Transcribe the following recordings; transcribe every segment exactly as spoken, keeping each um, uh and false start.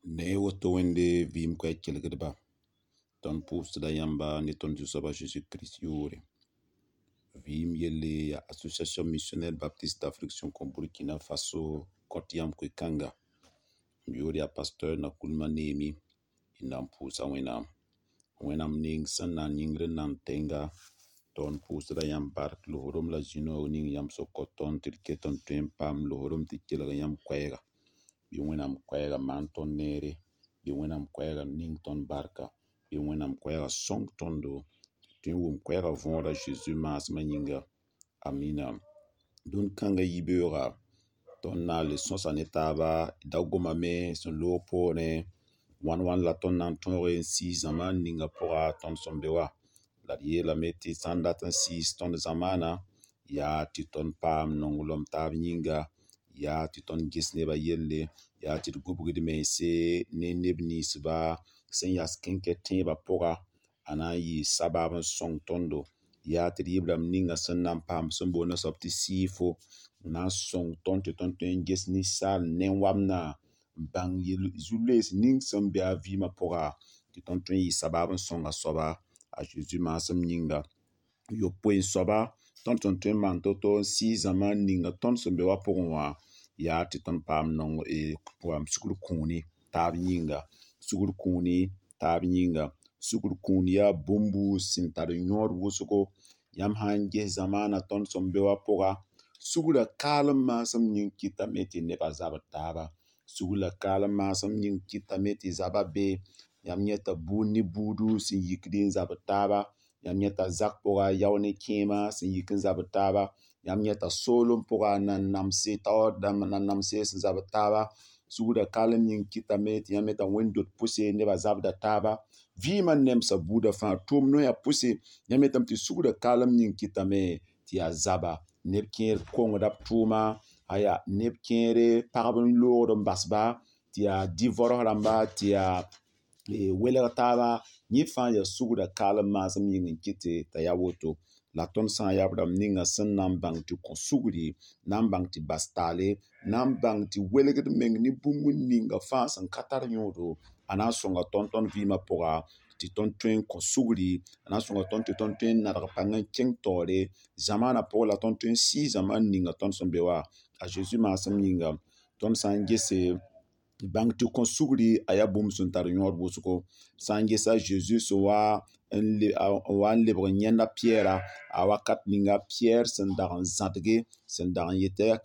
Ne woto wẽnde vɩɩm koɛɛg kelgdba tõnd pʋʋsda yãmba ne tõnd Zu-soab a Zeezi Kirist yʋʋre. Vɩɩm yelle yaa Association Missionnaire Baptiste d'Afrique sẽn kõ Burkina Faso kõt yãmb koe-kãnga. M yʋʋr yaa Pasteur Nakoulma Neemi y na n pʋʋsa Wẽnnaam. Wẽnnaam ning sẽn na n yĩngr n nan tẽnga tõnd pʋʋsda yãmb bark loosdem la zĩ-noog ning yãmb sẽn kõ tõnd tɩ d ket n tõe n paam loosdem tɩ kelg yãmb koɛɛga. Bɩ Wẽnnaam koɛɛga maan tõnd neere, bɩ Wẽnnaam koɛɛga ning tõnd barka, bɩ Wẽnnaam koɛɛga sõng tõndo tɩ n wʋm koɛɛga võor a Zeezi maasmã yĩnga. Amina. Dũni kãngã yibeooga tõnd na n le sõsa ne taaba da gomame sẽn loog poorẽ wãn wãn la tõnd na n tõoge n sɩɩs zamaan ninga pʋga tõnd sẽn be wã. La d yeelame tɩ sã n dat n sɩɩs tõnd zamaana yaa tɩ tõnd paam nonglem taab yĩnga, yaa tɩ tõnd ges nebã yelle, yaa tɩ d gubg d mense ne neb ninsba sẽn yas kẽnkɛ tẽebã pʋga a na n yɩ sabab n sõng tõndo. Yaa tɩ d yɩ b rãmb ninga sẽn na n paam sẽn boond a soab tɩ sɩɩfo n na n sõng tõnd tɩ tõnd tõe n ges ninsaal nen-wamdã n bãng zu-loees ning sẽn be a vɩɩmã pʋga tɩ tõnd tõe n yɩ sabab n sõng a soaba a Zeezi maasem yĩnga. Yopoe n soaba tõnd sẽn tõe n maan to-to n sɩɩs zamaan ninga tõnd sẽn be wã pʋgẽ wã yaa tɩ tõnd paam nong paam sugr kũuni taab yĩnga. Sugr kũuni taab yĩnga. Sugr kũun yaa bũmbu sẽn tar yõod wʋsgo. Yãmb sã n ges zamaana tõnd sẽn be wã pʋga, sugrã kaalem maasem yĩng kɩtame tɩ nebã zabd taaba. Sugrã kaalem maasem yĩng kɩtame tɩ zabã be. Yãmb yẽta buud ne buudu sẽn yikd n zabd taaba. Yãmb yẽta zak pʋga yao ne kẽema sẽn yik n zabd taaba. Yãmb yẽta soolem pʋga nan-namse taoor dãmb nan-namse sẽn zabd taaba. Sugrã kaalem yĩng kɩtame tɩ yãmb yẽta wẽnd-dot pʋse nebã zabda taaba. Vɩɩmã nemsa buudã fãa tʋʋm noyã pʋse yãmb yetame tɩ sugrã kaalem yĩng kɩtame tɩ yaa zaba. Neb kẽer kongda b tʋʋma, aya neb kẽere pagb n loogd n basba tɩ yaa divorce rãmba tɩ yaa welg taaba. Yẽ fãa yaa sugrã kaalem maasem yĩng n kɩte t'a yaa woto. La tõnd sã n yaa b rãmb ninga sẽn na n bãng tɩ kõ sugri, na n bãng tɩ bas taale, na n bãng tɩ welgd meng ne bũmb ninga fãa sẽn ka tar yõodo, a na n sõnga tõnd tõnd vɩɩmã pʋga tɩ tõnd tõe n kõ sugri, a na n sõnga tõnd tɩ tõnd tõe n nadg pãng n kẽng taoore zamaanã pʋgẽ la tõnd tõe n sɩɩs zamaan ninga tõnd sẽn be wã a Zeezi maasem yĩnga. Tõnd sã n gese bãng tɩ kõ sugri a yaa bũmb sẽn tar yõod wʋsgo. Sã n gesa Zeezi sẽn wa n wa n lebg n yãend a Piyɛɛra a wakat ninga Piyɛɛr sẽn dag n zãdge sẽn dag n yet tɩ yaa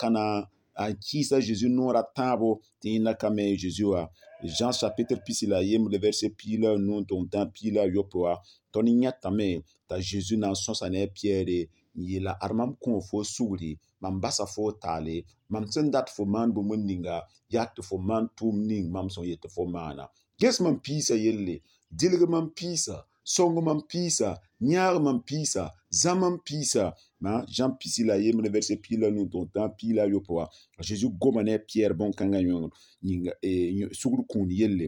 n kɩɩs a Zeezi noor a tãabo tɩ yẽnda ka me Zeezi wã. Jean chapitre pisi la a yembre verset piig la a nu n tʋg n tã piig la a yopoe wã tõnd yẽtame t'a Zeezi na n sõsa ne a Piyɛɛre n yeela ad mam kõo fo sugri, mam basa fo taale, mam sẽn dat fo maan bũmb ninga yaa tɩ fo maan tʋʋm ning mam sẽn yet tɩ fo maana. Ges mam piisã yelle, dɩlg mam piisã, sõng mam piisã, yãag mam piisã, zã mam piisã. Jean pisi la a yembre verset piig la a nu n tʋg n tã piig la a yopoe wã a Zeezi goma ne a Piyɛɛr bõn-kãngã yĩnga sugr kũun yelle.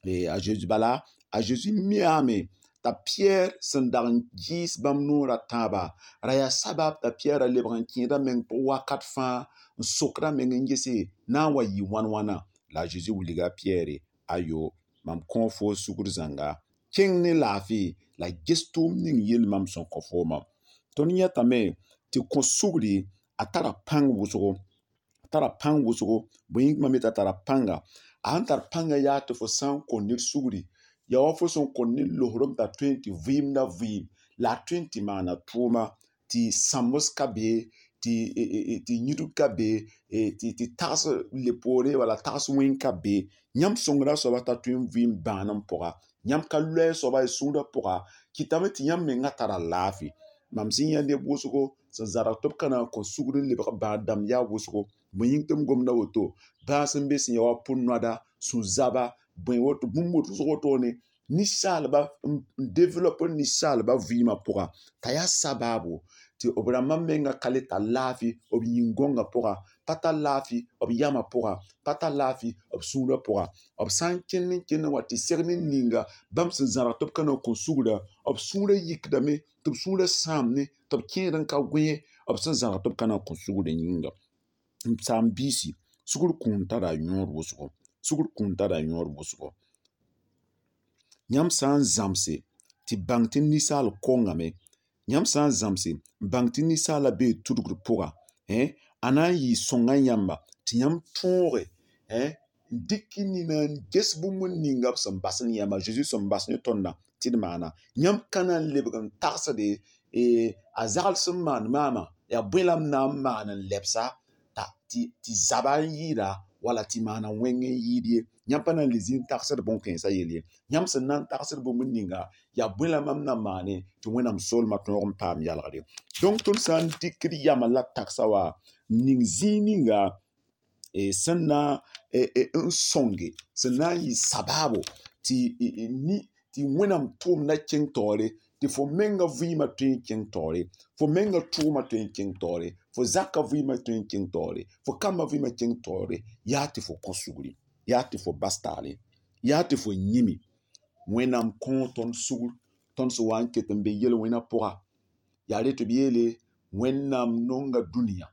A Zeezi bala a Zeezi miame t'a Piyɛɛr sẽn dag n kɩɩs bãmb noor a tãaba ra yaa sabab t'a Piyɛɛrã lebg n kẽeda meng pʋg wakat fãa n sokd a meng n gese na n wa yɩ wãn wãna. La a Zeezi wilga a Piyɛɛre ayo mam kõo fo sugr zãnga kẽng ne laafɩ la ges tʋʋm ning yell mam sẽn kõ foomã. Tõnd yẽtame tɩ kõ sugri a tara pãng wʋsgo, a tara pãng wʋsgo. Bõe yĩng mam yeta tara pãnga. A sẽn tar pãngã yaa tɩ fo sã n kõ ned sugri yaa wa fo sẽn kõ ned loosdem t'a tõe n tɩ vɩɩmda vɩɩm la a tõe n tɩ maana tʋʋma tɩ sãmbs ka be tɩ tɩ yĩdg ka be tɩ tags le poore wala tags wẽng ka be. Yãmb sõngra soaba t'a tõe n vɩɩm bãanem pʋga. Yãmb ka loe soaba y sũurã pʋga kɩtame tɩ yãmb mengã tara laafɩ. Mam sẽn yã neb wʋsgo sẽn zadg tɩ b ka na n kõ sugr n lebg bãad dãmb yaa wʋsgo. Bõe yĩng tɩ m gomda woto bãas sẽn be sẽn ya wa pʋ-noada, sũ-zaba, bõe woto bũmb wʋsg wotone ninsaalba n develop ninsaalba vɩɩmã pʋga t'a yaa sabaabo tɩ b rãmbã menga ka le tar laafɩ b yĩn-gõngã pʋga, pa tar laafɩ b yamã pʋga, pa tar laafɩ b sũurã pʋga. B sã n kẽnd n kẽnd n wa tɩ segd n ninga bãmb sẽn zãrg tɩ b ka na n kõ sugrã b sũurã yikdame tɩ b sũurã sãamne tɩ b kẽed n ka gõe b sẽn zãrg tɩ b ka na n kõ sugrã yĩnga. M saam-biisi sugr kũun tara yõod wʋsgo. Sugr kũun tara yõod wʋsgo. Yãmb sã n zãmse tɩ bãng tɩ ninsaal kongame, yãmb sã n zãmse n bãng tɩ ninsaalã bee tudgr pʋga, a na n yɩ sõnga yãmba tɩ yãmb tõoge n dɩk y nina n ges bũmb ninga b sẽn bas ne yãmba, Zeezi sẽn bas ne tõndã tɩ d maana. Yãmb ka na n lebg n tagsde a zagl sẽn maan maamã yaa bõe la m na n maan n lebsa tɩ zaba n yɩɩda wala tɩ maana wẽng n yɩɩd ye. Yãmb pa na n le zĩ n tagsd bõn-kãensã yell ye. Yãmb sẽn na n tagsd bũmb ninga yaa bõe la mam na maane tɩ Wẽnnaam soolmã tõog n paam yalgre. Donc tõnd sã n dɩkd yamã la tagsa wã n ning zĩig ninga sẽn na n sõnge, sẽn na n yɩ sabaabo tɩ tɩ Wẽnnaam tʋʋmdã kẽng taoore, tɩ fo menga vɩɩmã tõe n kẽng taoore, fo menga tʋʋmã tõe n kẽng taoore, fo zakã vɩɩmã tõe n kẽng taoore, fo kambã vɩɩmã kẽng taoore, yaa tɩ fo kõ sugri, yaa tɩ fo bas taale, yaa tɩ fo yĩme. Wẽnnaam kõo tõnd sugr, tõnd sẽn wa n ket n be yel-wẽnã pʋga. Yaa re tɩ b yeele Wẽnnaam nonga dũniyã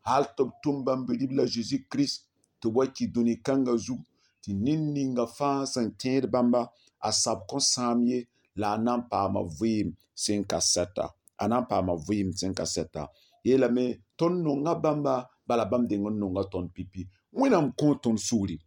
hal tɩ b tʋm bãmb bi-ribla Zeezi Kirist tɩ b wa ki dũni kãngã zug tɩ ned ninga fãa sẽn tẽed bãmba a sab kõn sãam ye la a na n paama vɩɩm sẽn ka sɛta, a na n paama vɩɩm sẽn ka sɛta. Yeelame tõnd nonga bãmba bala bãmb deng n nonga tõnd pipi. Wẽnnaam kõo tõnd sugri.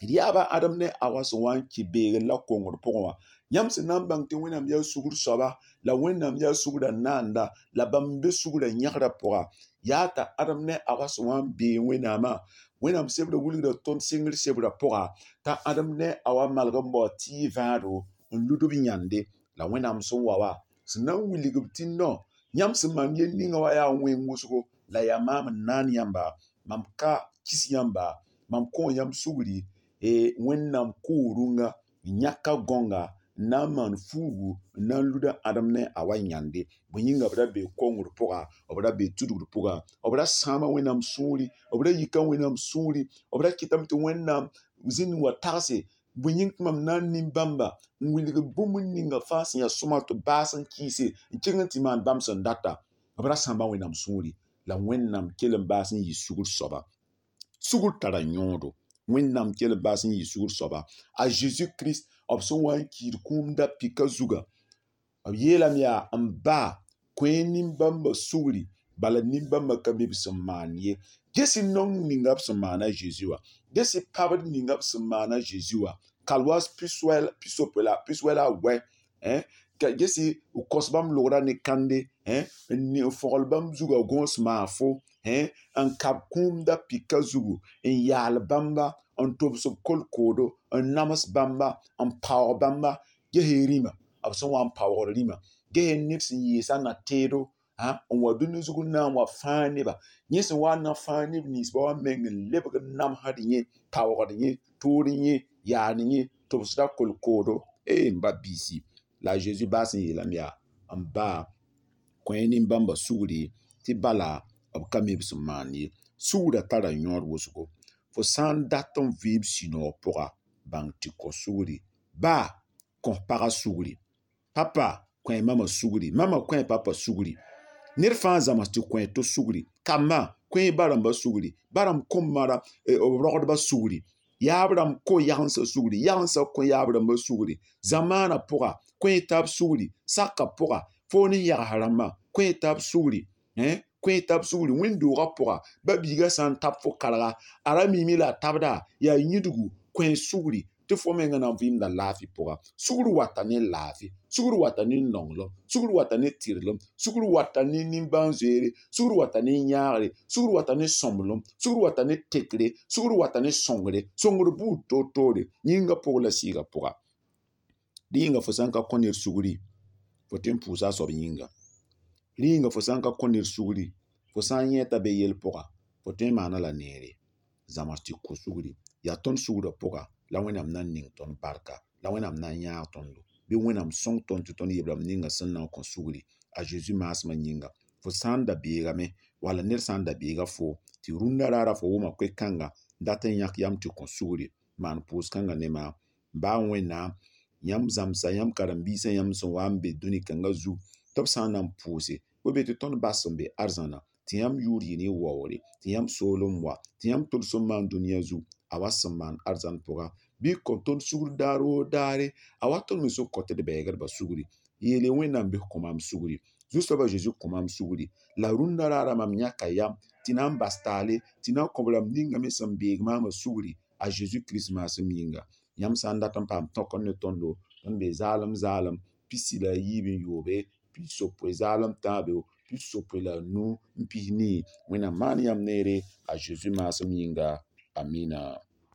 D yaaba Adem ne Awa sẽn wa n kɩ beegr la kongr pʋgẽ wã, yãmb sẽn na n bãng tɩ Wẽnnaam yaa sugr soaba, la Wẽnnaam yaa sugrã naanda, la bãmb n be sugrã yẽgrã pʋga. Yaa t'a Adem ne Awa sẽn wa n bee Wẽnnaamã, Wẽnnaam sebrã wilgda tõnd sɩngr sebrã pʋga t'a Adem ne Awa malg n bao tɩɩ vãado n lud b yãnde. La Wẽnnaam sẽn wa wa, sẽn na n wilg b tɩ no, yãmb sẽn maan yel ninga wã yaa wẽng wʋsgo, la yaa maam n naan yãmba, mam ka kis yãmba, mam kõo yãmb sugri, Wẽnnaam koo rũngã n yãka gõnga n na n maan fuugu n na n luda Adem ne Awa yãnde. Bõe yĩnga b ra bee kongr pʋga, b ra bee tudgr pʋga, b ra sãama Wẽnnaam sũuri, b ra yika Wẽnnaam sũuri, b ra kɩtame tɩ Wẽnnaam zĩnd n wa tagse. Bõe yĩng tɩ mam na n nin bãmba n wilg bũmb ninga fãa sẽn yaa sõma tɩ b baas n kɩɩse n kẽng n tɩ maan bãmb sẽn data. B ra sãamba Wẽnnaam sũuri la Wẽnnaam kell n baas n yɩ sugr soaba. Sugr tara yõodo. Wẽnnaam kell n baas n yɩ sugr soaba. A Zeezi Kirist b sẽn wa n kiid kũum da pika zuga, b yeelame yaa n ba kõ-y nin-bãmbã sugri bala nin-bãmbã ka mi b sẽn maan ye. Ges y nong ninga b sẽn maana Zeezi wã, ges y pabd ninga b sẽn maana Zeezi wã, kalwaas pisopoe la piswɛ la a wɛ, ges y kos bãmb logrã ne kãnde, n fõgl bãmb zugã gõos maafo, n kab kũum da pika zugu, n yaal bãmba, n tobs b kolkoodo, n nams bãmba, n paoog bãmba. Ges-y rĩmã, b sẽn wa n paoogd rĩmã, ges-y ned sẽn yeesa na-tẽedo n wa dũni zug n na n wa fãag neba. Yẽ sẽn wa n na fãag neb ninsbã wã meng n lebg n namsd yẽ, paoogd yẽ, tood yẽ, yaad yẽ, tobsda kolkoodo. Ee m ba biisi, la a Zeezi baas n yeelame yaa n ba kõ-y nin-bãmbã sugri tɩ bala b ka mi b sẽn maan ye. Sugrã tara yõod wʋsgo. Fo sã n dat n vɩɩm sũ-noog pʋga, bãng tɩ kõ sugri. Ba kõ pagã sugri, papa kõ mama sugri, mama kõ papa sugri. Ned fãa zãms tɩ kõ to sugri. Kambã kõ ba rãmbã sugri, ba rãmb kõmma b rogdbã sugri, yaab rãmb kõ yagensã sugri, yagensã kõ yaab rãmbã sugri. Zamaanã pʋga kõ taab sugri, sakã pʋga foo ne yags rãmbã kõ taab sugri, kõ taab sugri wẽn-doogã pʋga. Ba biigã sã n tab fo karga, a ra miime la a tabda, yaa yĩdgu, kõ sugri tɩ fo menga na n vɩɩmda laafɩ pʋga. Sugr wata ne laafɩ, sugr wata ne nonglem, sugr wata ne tɩrlem, sugr wata ne nimbãan-zoeere, sugr wata ne yãagre, sugr wata ne sõmblem, sugr wata ne tekre, sugr wata ne sõngre, sõngr buud toor-toore, yĩngã pʋg la sɩɩgã pʋga. Dẽ yĩnga fo sã n ka kõ ned sugri, fo tõe n pʋʋsa a soab yĩnga. Rẽ yĩnga fo sã n ka kõ ned sugri, fo sã n yẽ t'a be yel pʋga, fo tõe n maana la neere. Zãms tɩ kõ sugri. Yaa tõnd sugrã pʋga la Wẽnnaam na n ning tõnd barka, la Wẽnnaam na n yãag tõndo, bɩ Wẽnnaam sõng tõnd tɩ tõnd yeb-rãmb ninga sẽn na n kõ sugri a Zeezi maasmã yĩnga. Fo sã n da beegame wala ned sã n da beega foo tɩ rũndã raara fo wʋma koe-kãnga dat n yãk yam tɩ kõ sugri, maan pʋʋs-kãngã ne maam. Baa Wẽnnaam yãmb zãmsa yãmb karen-biisã yãmb sẽn wa n be dũni kãngã zug tɩ b sã n na n pʋʋse, bɩ be tɩ tõnd bas sẽn be arzãna tɩ yãmb yʋʋr yɩ ne waoore, tɩ yãmb soolem wa, tɩ yãmb tʋlsem maan dũniyã zug. A wa sẽn maan arzãn pʋga bɩ kõ tõnd sugr daar woo daare, a wa tõnd me sẽn kõ tɩ d bɛɛgdbã sugri. Yeele Wẽnnaam bɩ kõ maam sugri, Zu-soaba Zeezi kõ maam sugri. La rũndã raara mam yãka yam tɩ na n bas taale tɩ na n kõ b rãmb ninga me sẽn beeg maamã sugri a Zeezi Kirist maasem yĩnga. Yãmb sã n dat n paam tõk ne tõndo, tõnd bee zaalem zaalem pisi la a yiib n yoobe, pis-yopoe zaalem tãabo, pis-yopoe la a nu n pis nii. Wẽnnaam maan yãmb neere a Zeezi maasem yĩnga. Amina.